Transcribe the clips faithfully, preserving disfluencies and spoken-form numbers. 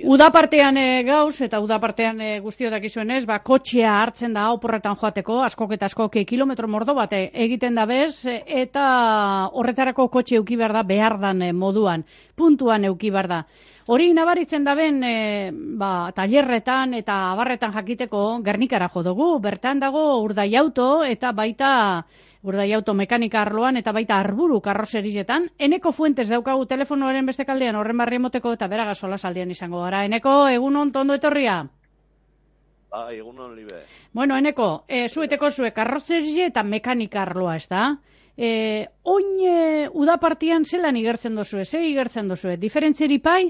Uda partean e, gauz, eta uda partean e, guztiotak izuenez, ba, kotxea hartzen da oporretan joateko, askok eta askok kilometro mordo bat egiten da bez, eta horretarako kotxe euki behar da behar dan e, moduan, puntuan euki behar da. Hori nabaritzen da ben, e, ba, talerretan eta abarretan jakiteko Gernikara jo dugu, bertan dago Urdai Auto eta baita Urdai Auto mekanika arloan eta baita Arburu karroserietan. Eneko Fuentes daukagu telefonoaren beste kaldean horren barri emoteko eta bera gasola saldian izango gara. Eneko, egunon tondo etorria? Ba, egunon libe. Bueno, Eneko, e, zueteko zue karroserie eta mekanika arloa, ez da? E, oin e, udapartian zelan igertzen dozue, ze igertzen dozue? Diferentzeri pai?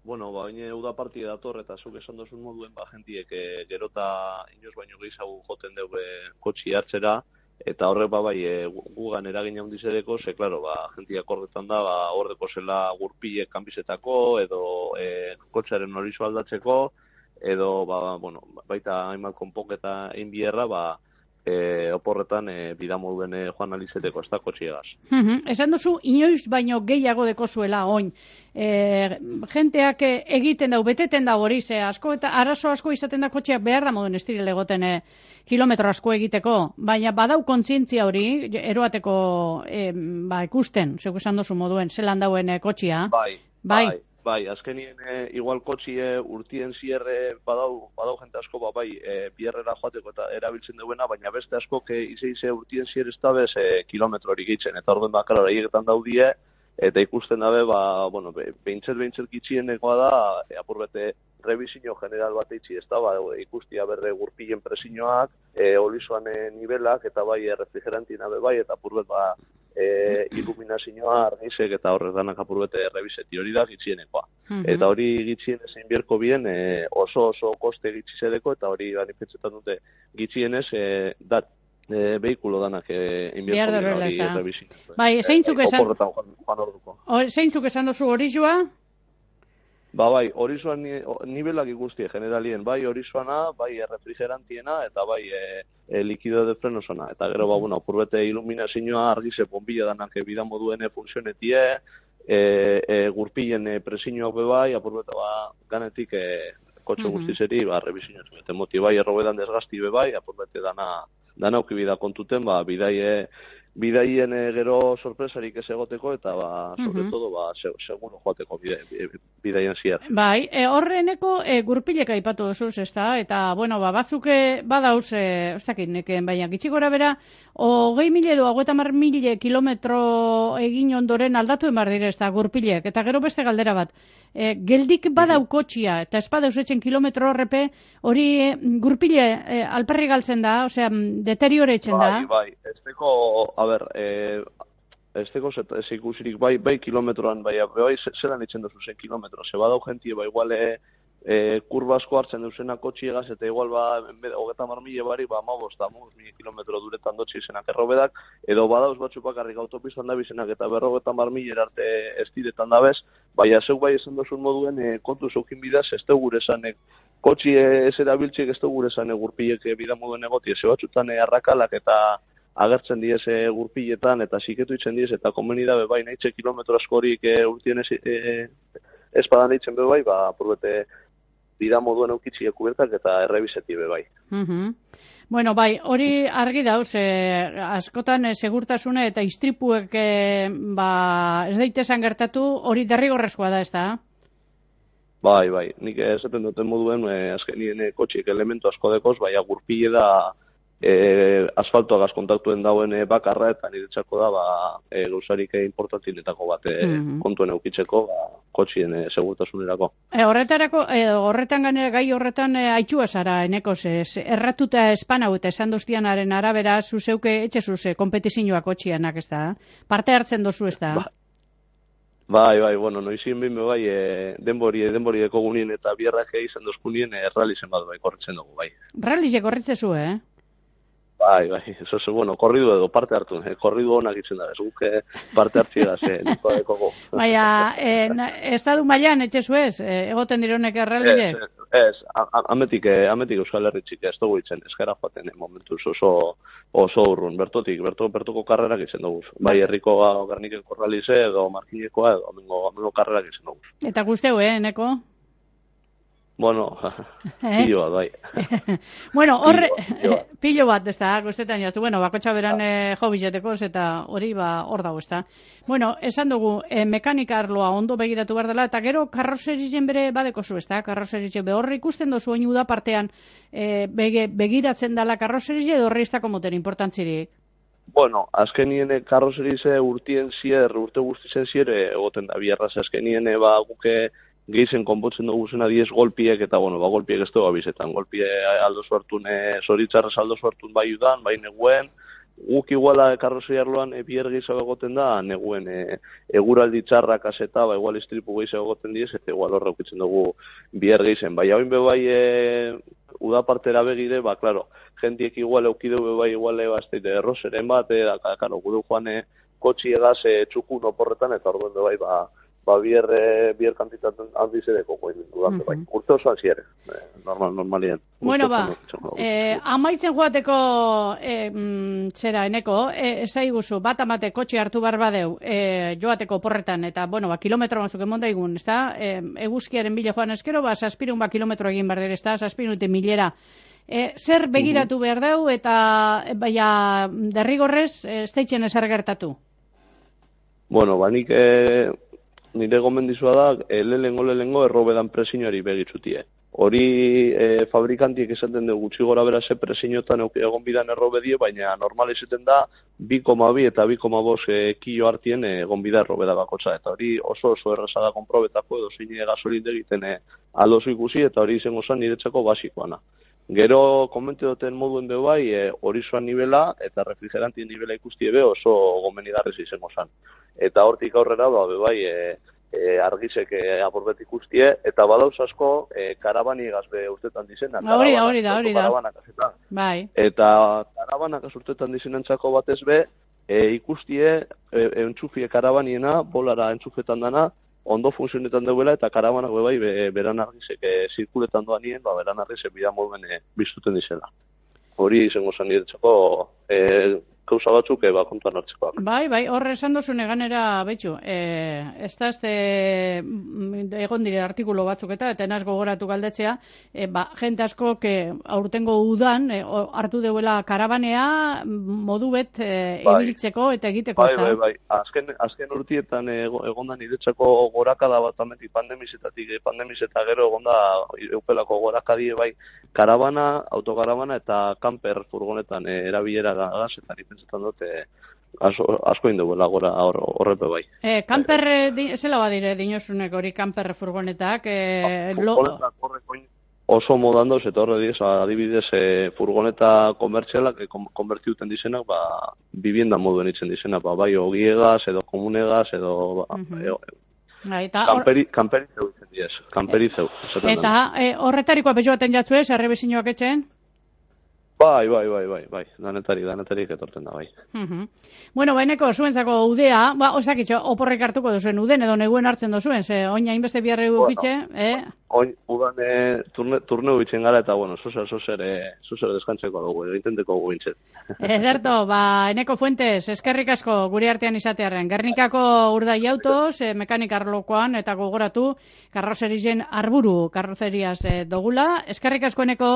Bueno, ba, oin udapartia dator eta zuk esan dozun moduen, ba, jentiek e, gerota inoz baino gehiago joten dugu kotxi hartzera, eta horrek ba bai e, gugan eragin handiz edeko, ze, klaro, ba, jentiak horretan da, ba, horreko zela gurpilek kanbizetako, edo e, kotxearen horizo aldatzeko, edo, ba, bueno, baita hainbat konpoketa egin bierra, ba, E, oporretan e, bidamoduen e, joan alizeteko ez da kotxiegaz. Uh-huh. Esan duzu, inoiz baino gehiago deko zuela oin. E, jenteak egiten dau, beteten dau hori, ze asko eta arazo asko izaten da kotxeak behar da moduen estirele egoten e, kilometro asko egiteko, baina badau kontzientzia hori, eroateko e, ba, ikusten, zeuk esan duzu moduen, zelan dauen e, kotxia. Bai, bai. bai. Bai, azkenien e, igual kotxie urtien zierre badau, badau jente asko, ba, bai, e, bierrera joateko eta erabiltzen duena, baina beste asko ke ize ize urtien zierre ez da bez e, kilometro hori gitzen, eta orduen bakar hori egetan daudie, eta ikusten dabe, ba, bueno, behintzet behintzet gitxienekoa da, e, apurbete revisio general bat eitzi, ez da, ba, ikustia berre gurpilen presioak, e, olizoan e, nivelak, eta bai, e, refrigerantien abe bai, eta apurbet, ba, E, iluminazioa argizek eta horrek danak apurbete reviseti hori da gitxienekoa. Uh-huh. Eta hori gitxienez egin bierko bien e, oso oso koste gitxizedeko eta hori ganipetzetan dute gitxienez e, dat e, behikulo danak egin bierko bien hori reviseti. Bai, zeintzuk esan, e, zeintzuk esan dozu hori joa? Ba, bai, horizoan nivelak ikusti generalien, bai horizoana, bai refrigerantiena, eta bai e, e, likido de frenosona. Eta gero, ba, bueno, apurbete iluminazioa argize bombilla danak bida moduen funtzionetie, e, e, gurpilen e, presioak be bai, apurbete, ba, ganetik e, kotxe uh-huh. guztizeri, ba, revisionetu. Eta moti, bai, errobedan desgazti be bai, apurbete dana, dana auki bida kontuten, ba, bidaie, bidaien e, gero sorpresarik ez egoteko eta ba, sobre uh-huh. todo ba, se, seguro joateko bidaien ziar. Bai, e, horreneko e, gurpilek aipatu duzuz, ez da? Eta, bueno, ba, bazuke badauz, e, ez dakit, neken, baina gitxi gora bera, hogei mile edo hogeita hamar mile kilometro egin ondoren aldatu emar dire, ez da, gurpilek. Eta gero beste galdera bat, e, geldik badau kotxia, eta ez badauz etzen kilometro horrepe, hori e, gurpile e, alperri galtzen da, osea, deterioretzen da. Bai, bai, ez deko, a ber, e, ez deko ez ikusirik, bai, bai kilometroan, bai, bai, zelan itzen duzu zen kilometro, ze badau jentie, bai, igual, e, e, kurba asko hartzen duzena kotxiegaz, eta igual, ba, hogeta mar mile bari, ba, amabos, eta amabos mile kilometro duretan dotxe izenak errobedak, edo badauz batzu bakarrik autopistan da bizenak, eta berrogeta mar mile arte ez diretan da bez, bai, azeu bai esan duzun moduen, e, kontu zeukin bidaz, ez tegu gure esanek, kotxi ez erabiltxek ez tegu gure esanek gurpilek bida moduen egoti, ez batzutan e, arrakalak eta agertzen diez e, gurpiletan, eta siketu itzen diez, eta komeni da, bai, nahitxe kilometro askorik e, urtien ez, e, espadan eitzen be bai, ba, apurbete bida moduen eukitzi ekubertak eta errebizeti be bai. Uh-huh. Bueno, bai, hori argi dauz, eh, askotan eh, segurtasuna eta istripuek eh, ba, ez daitesan gertatu, hori derrigorrezkoa da, ez da? Bai, bai, nik esaten duten moduen, eh, azkenien eh, kotxiek elementu asko dekoz, bai, agurpile da e, asfaltoagaz kontaktuen dauen e, bakarra, eta niretzako da, ba, e, gauzarik importantinetako bat e, mm-hmm. kontuen eukitzeko, ba, kotxien e, segurtasunerako. E, horretarako, e, horretan ganera, gai horretan e, aitxua zara, eneko, ez, erratuta espan hau eta esan doztianaren arabera, zuzeuke etxe zuze, kompetizioa kotxianak, ez da? Parte hartzen dozu, ez da? Ba. Bai, bai, bueno, noizien behin bai, e, denbori, denbori deko gunien eta bierrak izan dozkunien e, rallizen bat bai, korritzen dugu, bai. Rallizek korritzezu, eh? Bai, bai, eso es, bueno, korridu edo parte hartu, eh? Korridu honak itzen da, ez guke parte hartziegaz, eh, niko dekogo. Baina, eh, estadu mailan etxe zuez, eh, egoten dironek erraldire? Ez, ez, ametik, ametik Euskal Herri txik, ez dugu itzen, eskara joaten, eh, momentuz oso, oso urrun, bertotik, berto, bertoko karrerak izen dugu. Bai, herriko garniken korralize edo markinekoa edo amengo, amengo karrerak izen dugu. Eta guzteu, eh, neko? Bueno, eh? pilo bat, bai. Bueno, horre, pilo bat, ez da, guztetan jatu, bueno, bakotxa beran ah. eh, jo biletekoz, eta hori ba, hor dago, ez da. Bueno, esan dugu, eh, mekanika arloa ondo begiratu behar dela, eta gero karrozerizien bere badeko zu, ez da, karrozerizien be horre ikusten dozu oinu da partean eh, bege, begiratzen dela karrozerizien edo horre iztako moten importantzirik? Bueno, azkenien karrozerize urtien zier, urte guztizen zier, egoten da bierraz, azkenien ba guke gehizen konpotzen dugu zena diez golpiek, eta bueno, ba golpiek ez dugu abizetan, golpie aldo suertun, e, zoritzarrez aldo suertun bai udan, bai neguen, guk iguala karrozeri arloan e, bier gehiago egoten da, neguen e, eguraldi txarrak azeta, ba igual istripu gehiago egoten diez, eta igual horre ukitzen dugu bier gehiago. Bai, hau inbe bai e, udapartera begire, ba, klaro, jentiek igual eukideu be bai igual e, bazteite erroseren bat, e, da, klaro, gudu joan e, kotxi egaz e, txukun oporretan, eta orduen be bai, ba, ba bier, e, bier kantitaten handizedeko goin dudan, bai. Urte osoan ziere, e, normal, normalien. Bueno, ba, eh, amaitzen joateko eh, mm, zera, eneko, eh, zaiguzu, bat amate kotxe hartu behar badeu eh, joateko porretan, eta, bueno, ba, kilometro batzuk emon daigun, ez da? Eh, eguzkiaren bile joan eskero, ba, saspirun ba kilometro egin behar dira, ez da? Saspirun milera. Eh, zer begiratu behar deu, eta, eh, baina, derrigorrez, ez eh, deitzen ezer gertatu? Bueno, ba, nik... Eh... nire gomendizua da, e, lehengo lehengo errobedan presiñoari begitzutie. Hori e, fabrikantiek esaten dugu gutxi gora bera ze presiñotan egon bidan errobedie, baina normal izaten da bi koma bi eta bi koma bost e, kilo hartien egon bida errobeda bakotza. Eta hori oso oso erraza da konprobetako edo zine gasolin egiten e, aldozu ikusi, eta hori izango zen niretzako basikoana. Gero komente duten moduen be bai, e, horizoan nivela eta refrigerantien nivela ikustie be oso gomenigarrez izango zen. Eta hortik aurrera ba be bai, e, e, argizek e, aporbet ikustie, eta badauz asko e, karabani gazbe urtetan dizena. Hori da, hori da, hori da. Bai. Eta karabanak urtetan dizenentzako batez be, e, ikustie e, entxufie karabaniena, bolara entxufetan dana, ondo funtzionetan duela, eta karabanak be bai, be, beran argizek e, zirkuletan doan nien, ba, beran argizek bida moduen e, biztuten dizela. Hori izango zen niretzako e, kauza batzuk eba kontuan hartzekoak. Bai, bai, horre esan dozu neganera, betxu, e, ez da ezte egon dire artikulo batzuk eta, eta enaz gogoratu galdetzea, e, ba, jente asko, que aurtengo udan, e, hartu deuela karabanea, modu bet e, bai. Ibilitzeko eta egiteko. Bai, bai, bai, azken, azken urtietan egonda niretzako gorakada bat ametik pandemizetatik, pandemiz eta gero egonda eupelako gorakadie bai, karabana, autokarabana eta kamper furgonetan e, erabilera gaz, eta nipentzetan dute asko, asko induela gora horrepe bai. E, kamper, e, zela badire dinosunek hori kamper furgonetak? E, furgonetak horreko oso modandoz, eta horre diez, adibidez e, furgoneta komertzialak, e, konbertiuten dizenak, ba, bibienda moduen itzen dizenak, ba, bai, ogiegaz, edo komunegaz, edo... Ba, uh-huh. e, Eta, kamperi, kamperi zeu itzen diez, kamperi zeu. Eta e, horretarikoa bezoaten jatzu ez, errebizinoak etxen? Bai, bai, bai, bai, bai, danetari, danetari etorten da, bai. Uh-huh. Bueno, baineko zuentzako udea, ba, osakitxo, oporrek hartuko duzuen uden, edo neguen hartzen duzuen, ze oina inbeste biarre gukitxe, bueno, eh? Oin, udan, e, turne, turneu itzen gara, eta, bueno, zuzer, zuzer, e, zuzer deskantzeko dugu, egintenteko dugu intzet. Ederto, ba, Eneko Fuentes, eskerrik asko gure artean izatearen. Gernikako urdai autoz, e, mekanika arlokoan, eta gogoratu, karrozerizien arburu karrozeriaz e, dogula. Eskerrik asko, Eneko.